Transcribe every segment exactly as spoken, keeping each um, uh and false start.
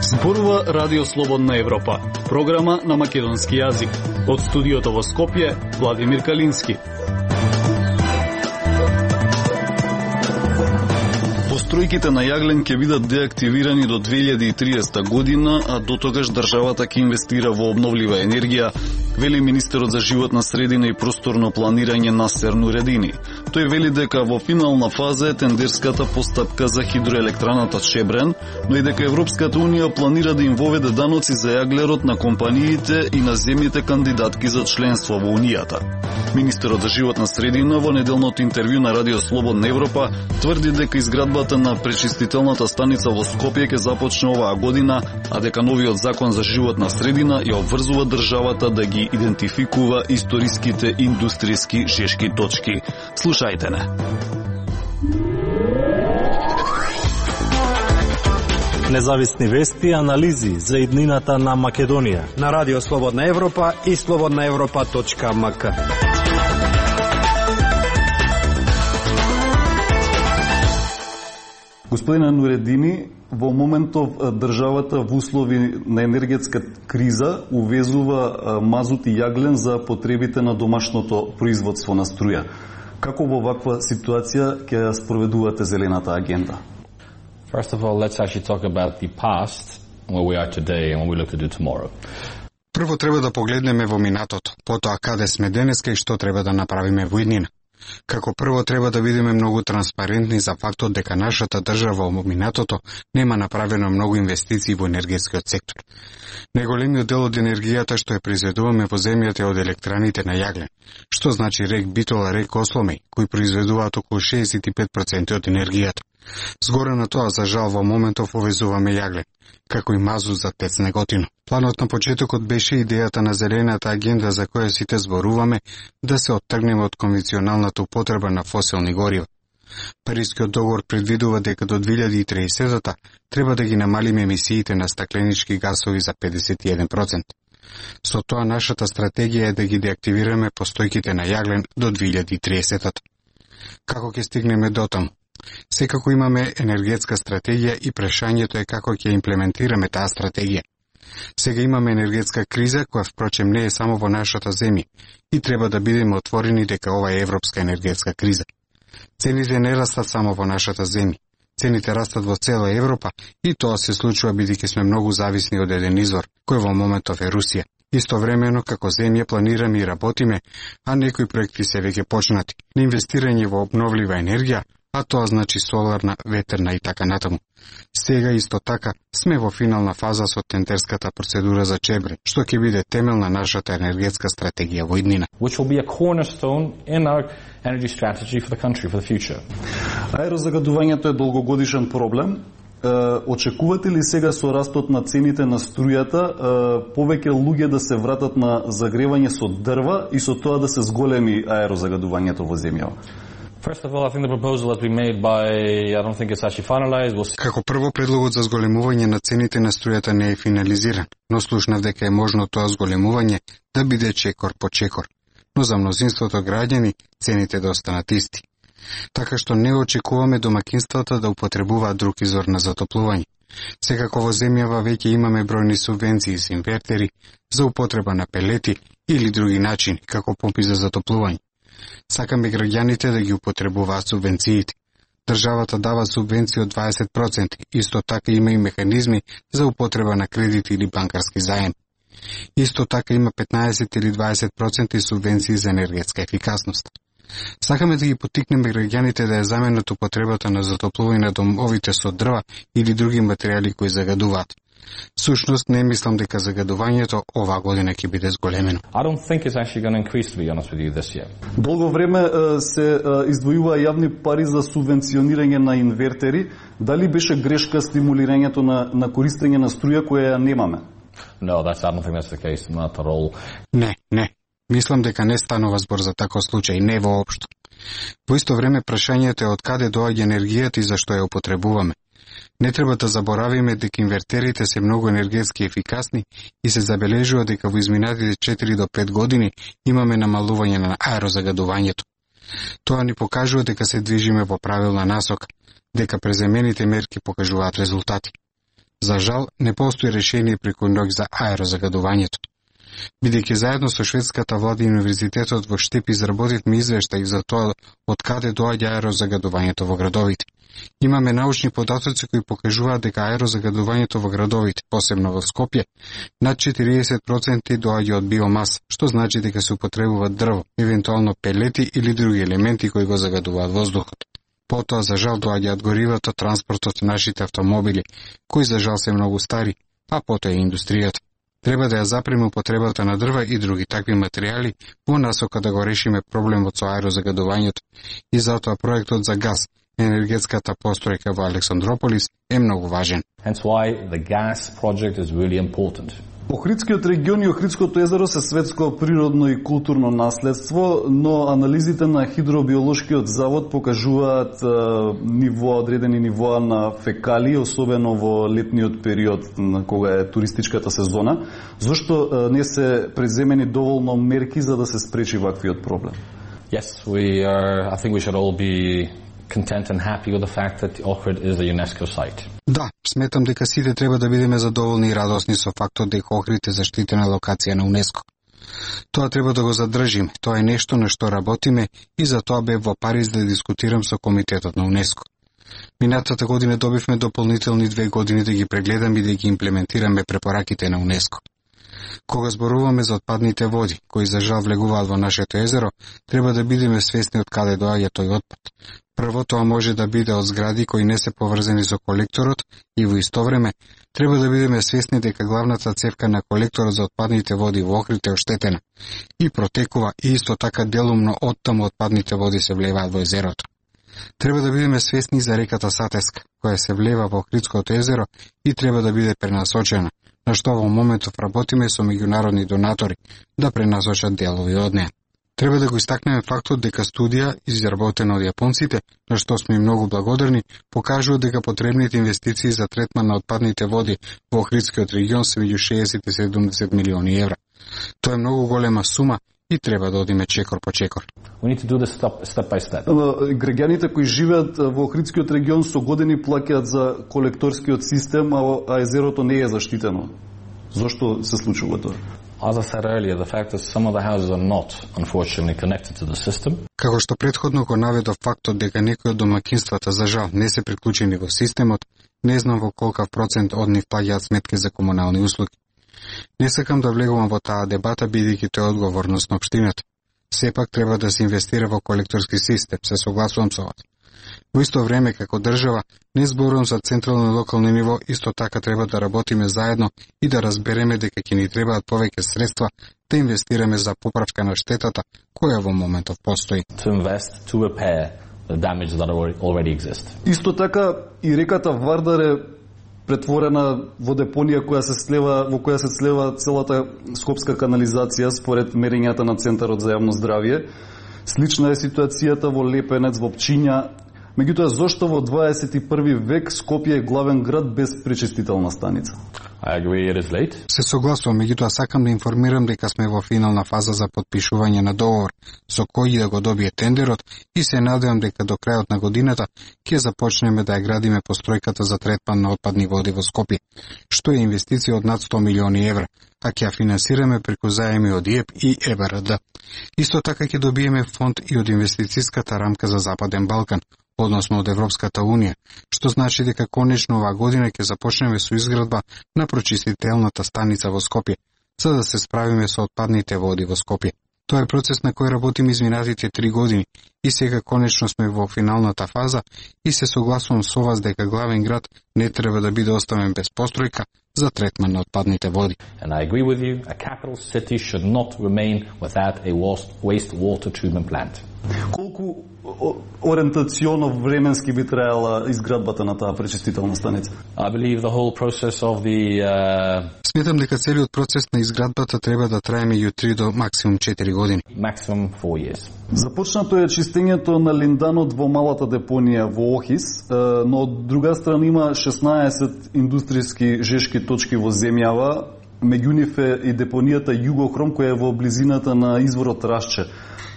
Зборува Радио Слободна Европа, програма на македонски јазик. Од студиото во Скопје, Владимир Калински. Постројките на јаглен ќе бидат деактивирани до две илјади и триесета година, а до тогаш државата ќе инвестира во обновлива енергија, вели министерот за животна средина и просторно планирање Насер Нуредини. Тој вели дека во финална фаза е тендерската постапка за хидроелектраната Чебрен, но и дека Европската унија планира да им воведе даноци за јаглерот на компаниите и на земјите кандидатки за членство во Унијата. Министерот за животна средина во неделното интервју на Радио Слободна Европа тврди дека изградбата на пречистителната станица во Скопје ќе започне оваа година, а дека новиот закон за животна средина ја обврзува државата да ги идентификува историските индустријски жешки точки. Слушајте не. Независни вести и анализи за иднината на Македонија на Радио Слободна Европа и слободна европа точка ем ка. Господине Нуредини, во моментов државата во услови на енергетска криза увезува мазут и јаглен за потребите на домашното производство на струја. Како во ваква ситуација ќе ја спроведувате зелената агенда? First of all, let's actually talk about the past, where we are today and what we look to do tomorrow. Прво треба да погледнеме во минатото, потоа каде сме денеска и што треба да направиме во иднина. Како прво треба да бидеме многу транспарентни за фактот дека нашата држава во минатото нема направено многу инвестиции во енергетскиот сектор. Најголемиот дел од енергијата што ја произведуваме во земјата е од електраните на јаглен, што значи РЕК Битола, РЕК Осломеј, кои произведуваат околу шеесет и пет проценти од енергијата. Згоре на тоа, за жал, во моментов увезуваме јаглен, како и мазут за ТЕЦ Неготино. Планот на почетокот беше идејата на зелената агенда за која сите зборуваме, да се оттргнеме од конвенционалната употреба на фосилни горива. Парискиот договор предвидува дека до две илјади и триесета треба да ги намалиме емисиите на стакленички гасови за педесет и еден проценти. Со тоа нашата стратегија е да ги деактивираме постојките на јаглен до две илјади и триесета. Како ќе стигнеме до таму? Секако имаме енергетска стратегија и прашањето е како ќе имплементираме таа стратегија. Сега имаме енергетска криза, која впрочем не е само во нашата земја и треба да бидеме отворени дека ова е европска енергетска криза. Цените не растат само во нашата земја. Цените растат во цела Европа и тоа се случува бидејќи сме многу зависни од еден извор, кој во моментов е Русија. Истовремено, како земја планираме и работиме, а некои проекти се веќе почнати, на инвестирање во обновлива енергија, а тоа значи соларна, ветерна и така натаму. Сега исто така сме во финална фаза со тендерската процедура за Чебрен, што ќе биде темел на нашата енергетска стратегија во иднина. Which will be a cornerstone in our energy strategy for the country for the future. Аерозагадувањето е долгогодишен проблем. Очекувате ли сега со растот на цените на струјата повеќе луѓе да се вратат на загревање со дрва и со тоа да се зголеми аерозагадувањето во земјава? First of all, I think the proposal has been made by, I don't think it's actually finalized. We'll... Како прво, предлогот за зголемување на цените на струјата не е финализиран, но слушнав дека е можно тоа зголемување да биде чекор по чекор. Но за мнозинството граѓани цените да останат исти. Така што не очекуваме домакинствата да употребуваат друг извор на затоплување. Секако во земјава веќе имаме бројни субвенции за инвертери, за употреба на пелети или други начини, како помпи за затоплување. Сакаме граѓаните да ги употребуваат субвенциите. Државата дава субвенции од дваесет проценти, исто така има и механизми за употреба на кредити или банкарски заем. Исто така има петнаесет или дваесет проценти субвенции за енергетска ефикасност. Сакаме да ги поттикнеме граѓаните да ја заменат употребата на затоплување на домовите со дрва или други материјали кои загадуваат. Сушност не мислам дека загадувањето оваа година ќе биде зголемено. I don't think it's actually going to increase, to be honest with you, this year. Долго време се издвојува јавни пари за субвенционирање на инвертери. Дали беше грешка стимулирањето на на користење на струја која ја немаме? No, that's I don't think that's the case, not at all. Не, не. Мислам дека не станува збор за таков случај, не воопшто. Во исто време прашањето е од каде доаѓа енергијата и зашто ја употребуваме. Не треба да заборавиме дека инвертерите се многу енергетски ефикасни и се забележува дека во изминатите четири до пет години имаме намалување на аерозагадувањето. Тоа ни покажува дека се движиме во правилна насока, дека преземените мерки покажуваат резултати. За жал, не постои решение преку ноќ за аерозагадувањето. Бидејќи заедно со шведската влада и универзитетот во Штип изработивме извештај за тоа од каде доаѓа аерозагадувањето во градовите. Имаме научни податоци кои покажуваат дека аерозагадувањето во градовите, посебно во Скопје, над четириесет проценти доаѓа од биомаса, што значи дека се употребуваат дрво, евентуално пелети или други елементи кои го загадуваат воздухот. Потоа, за жал, доаѓаат горивото, транспортот, нашите автомобили, кои за жал се многу стари, а потоа и индустријата. Треба да ја запреме употребата на дрва и други такви материјали во насока да го решиме проблемот со аерозагадувањето и затоа проектот за газ, енергетската постројка во Александрополис е многу важен. Hence why the gas project is really important. Охридскиот регион и Охридското езеро се светско природно и културно наследство, но анализите на Хидробиолошкиот завод покажуваат е, ниво, одредени нивоа на фекалии, особено во летниот период на кога е туристичката сезона. Зошто е, не се преземени доволно мерки за да се спречи ваквиот проблем? Yes, we are, I think we should all be content and happy with the fact that Ohrid is a UNESCO site. Да, сметам дека сите треба да бидеме задоволни и радосни со фактот дека Охрид е заштитена локација на УНЕСКО. Тоа треба да го задржиме, тоа е нешто на што работиме и за тоа бев во Париз да дискутирам со комитетот на УНЕСКО. Минатата година добивме дополнителни две години да ги прегледаме и да ги имплементираме препораките на УНЕСКО. Кога зборуваме за отпадните води, кои за жал влегуваат во нашето езеро, треба да бидеме свесни од каде доаѓа тој отпад. Прво, тоа може да биде од згради кои не се поврзани со колекторот и во исто време треба да бидеме свесни дека главната цевка на колекторот за отпадните води во Охрид е оштетена и протекува и исто така делумно оттаму отпадните води се влеваат во езерото. Треба да бидеме свесни за реката Сатеска, која се влева во Охридското езеро и треба да биде пренасочена, на што во моментов работиме со меѓународни донатори да пренасочат делови од неа. Треба да го истакнеме фактот дека студија, изработена од јапонците, на што сме многу благодарни, покажува дека потребните инвестиции за третман на отпадните води во Охридскиот регион се меѓу шеесет и седумдесет милиони евра. Тоа е многу голема сума и треба да одиме чекор по чекор. We need to do this step, step by step. Граѓаните кои живеат во Охридскиот регион со години плаќаат за колекторскиот систем, а езерото не е заштитено. Зошто се случува тоа? As I said earlier, the fact that some of the houses are not, unfortunately, connected to the system. Како што претходно го наведов фактот дека некои од домаќинствата за жал не се приклучени во системот, не знам во колкав процент од нив плаќаат сметки за комунални услуги. Не сакам да влегувам во таа дебата бидејќи тоа е одговорност на општината. Сепак треба да се инвестира во колекторски систем, се согласувам со вас. Во исто време, како држава, не зборувам за централно и локално ниво, исто така треба да работиме заедно и да разбереме дека ќе ни требаат повеќе средства да инвестираме за поправка на штетата која во моментов постои. To invest to repair the damage that already exists. Исто така и реката Вардар е претворена во депонија која се слева, во која се слева целата скопска канализација според мерењата на Центарот за јавно здравје. Слична е ситуацијата во Лепенец, во Пчиња. Меѓутоа, зошто во дваесет и први век Скопје е главен град без пречистителна станица? I agree it is late. Се согласувам, меѓутоа сакам да информирам дека сме во финална фаза за потпишување на договор со кој да го добие тендерот и се надевам дека до крајот на годината ќе започнеме да ја градиме постројката за третман на отпадни води во Скопје, што е инвестиција од над сто милиони евра, а ќе ја финансираме преку заеми од ИЕП и Е Б Р Д. Исто така ќе добиеме фонд и од инвестицијската рамка за Западен Балкан, односно од Европската Унија, што значи дека конечно оваа година ќе започнеме со изградба на прочистителната станица во Скопје, за да се справиме со отпадните води во Скопје. Тоа е процес на кој работиме изминатите три години и сега конечно сме во финалната фаза и се согласувам со вас дека главен град не треба да биде оставен без постројка за третман на отпадните води. And I agree with you, a capital city should not remain without a wastewater treatment plant. Колку ориентационно временски би траела изградбата на таа пречистителна станица? I believe the whole process of the uh, Сметам дека целиот процес на изградбата треба да трае меѓу три до максимум четири години. maximum four years. Започнато е чистењето на линданот во малата депонија во Охис, но од друга страна има шеснаесет индустријски жешки точки во земјава, Меѓу нив е и депонијата Југохром која е во близината на изворот Рашче.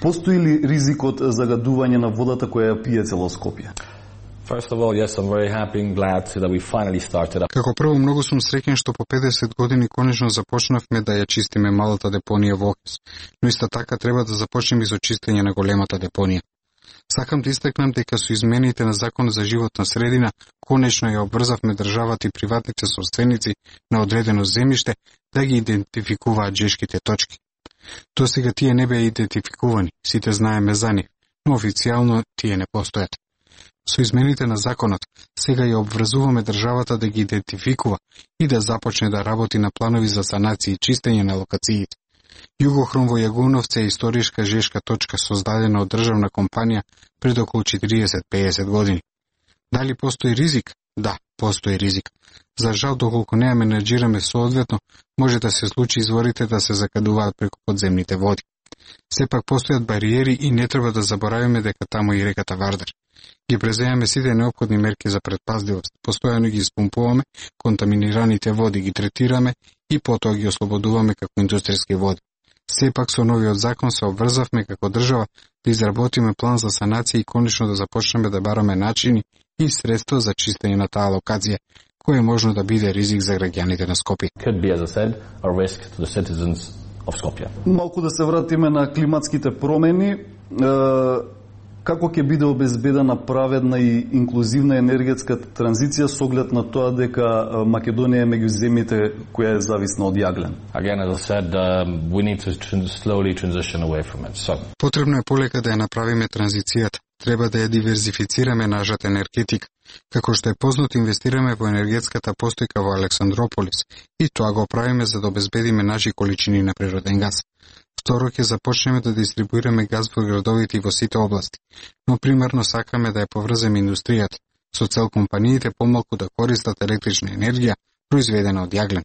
Постои ли ризик од загадување на водата која ја пие цело Скопје? First of all, yes, I'm very happy and glad that we finally started up. Како прво, многу сум среќен што по педесет години конечно започнавме да ја чистиме малата депонија во Охрид, но исто така треба да започнеме со чистење на големата депонија. Сакам да истакнам дека со измените на Закон за животна средина конечно ја обврзавме државата и приватните собственици на одредено земјиште да ги идентификуваат жешките точки. До сега тие не беа идентификувани, сите знаеме за нив, но официјално тие не постојат. Со измените на законот, сега ја обврзуваме државата да ги идентификува и да започне да работи на планови за санација и чистење на локациите. Југохром во Јагуновце е историшка жешка точка создадена од државна компанија пред околу четириесет до пеесет години. Дали постои ризик? Да, постои ризик. За жал, доколку не ја менеджираме соодветно, може да се случи изворите да се закадуваат преку подземните води. Сепак постојат бариери и не треба да заборавиме дека таму и реката Вардар. Ги преземаме сите неопходни мерки за предпазливост, постојано ги испумпуваме контаминираните води, ги третираме и потоа ги ослободуваме како индустријски води. Сепак со новиот закон се обврзавме како држава да изработиме план за санација и конечно да започнеме да бараме начини и средства за чистење на таа локација, кој е можно да биде ризик за граѓаните на Скопје. Could be, as I said, a risk to the citizens of Skopje. Малку да се вратиме на климатските промени. Како ќе биде обезбедена праведна и инклузивна енергетска транзиција со оглед на тоа дека Македонија е меѓу земјите која е зависна од јаглен? Again, as I said, uh, we need to slowly transition away from it. So, Потребно е полека да ја направиме транзицијата. Треба да ја диверзифицираме нашата енергетика. Како што е познато, инвестираме во енергетската постојка во Александрополис и тоа го правиме за да обезбедиме наши количини на природен газ. Второ, ќе започнеме да дистрибуираме газ во градовите и во сите области, но примерно сакаме да ја поврземе индустријата, со цел компаниите помалку да користат електрична енергија произведена од јаглен.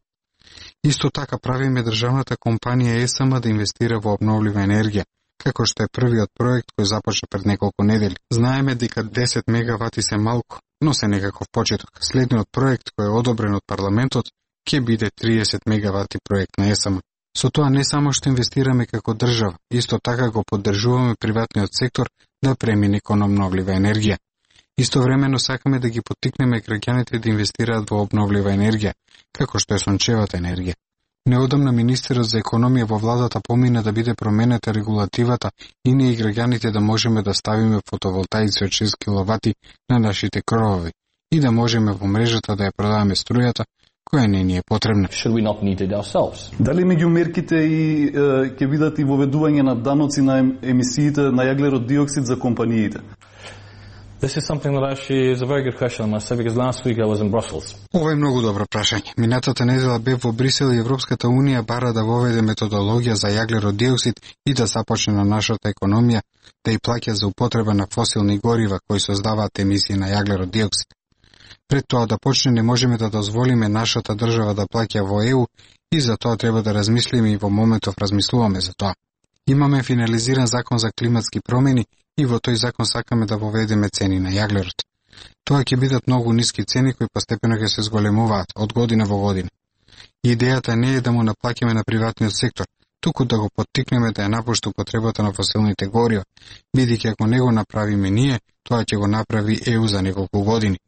Исто така правиме државната компанија Е С М да инвестира во обновлива енергија, како што е првиот проект кој започна пред неколку недели. Знаеме дека десет мегавати се малку, но се некаков почеток. Следниот проект кој е одобрен од парламентот ќе биде триесет мегавати проект на Е С М. Со тоа не само што инвестираме како држава, исто така го поддржуваме приватниот сектор да премине кон обновлива енергија. Истовремено сакаме да ги поттикнеме граѓаните да инвестираат во обновлива енергија, како што е сончевата енергија. Неодамна министерот за економија во владата помина да биде променета регулативата и ние и граѓаните да можеме да ставиме фотоволтаици од шест киловати на нашите кровови и да можеме во мрежата да ја продаваме струјата која не ни е потребна. should we not need it ourselves? Дали меѓу мерките и ќе видат и воведување на даноци на емисиите на јаглерод диоксид за компаниите? This is something that actually is a very good question, I must say, because last week I was in Brussels. Ова е многу добро прашање. Минатата недела бев во Брисел и Европската унија бара да воведе методологија за јаглерод диоксид и да започне на нашата економија да и плаќа за употреба на фосилни горива кои создаваат емисии на јаглерод диоксид. Пред тоа да почне не можеме да дозволиме нашата држава да плаќа во Е У и за тоа треба да размислиме и во моментов размислуваме за тоа. Имаме финализиран закон за климатски промени и во тој закон сакаме да воведеме цени на јаглерод. Тоа ќе бидат многу ниски цени кои постепено ќе се зголемуваат од година во година. Идејата не е да му наплаќаме на приватниот сектор, туку да го поттикнеме да ја напушти употребата на фосилните горива, бидејќи ако не го направиме ние, тоа ќе го направи Е У за неколку години.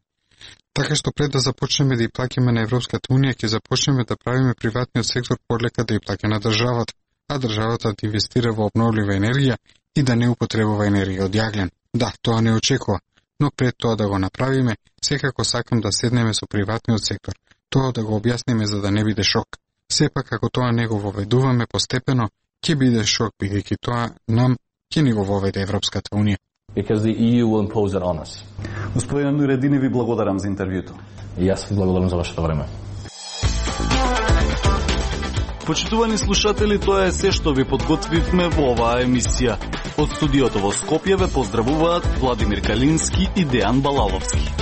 Така што пред да започнеме да ја плаќаме на Европската унија, ќе започнеме да правиме приватниот сектор полека да ја плаќа на државата, а државата да инвестира во обновлива енергија и да не употребува енергија од јаглен. Да, тоа не очекува, но пред тоа да го направиме, секако сакам да седнеме со приватниот сектор, тоа да го објасниме за да не биде шок. Сепак, ако тоа не го воведуваме постепено, ќе биде шок, бидејќи тоа нам ќе ни го воведе Европската унија. Because the E U will impose it on us. Господин Нуредини, ви благодарам за интервјуто. И јас ви благодарам за вашето време. Почитувани слушатели, тоа е се што ви подготвивме во оваа емисија. Од студиото во Скопје ве поздравуваат Владимир Калински и Дејан Балаловски.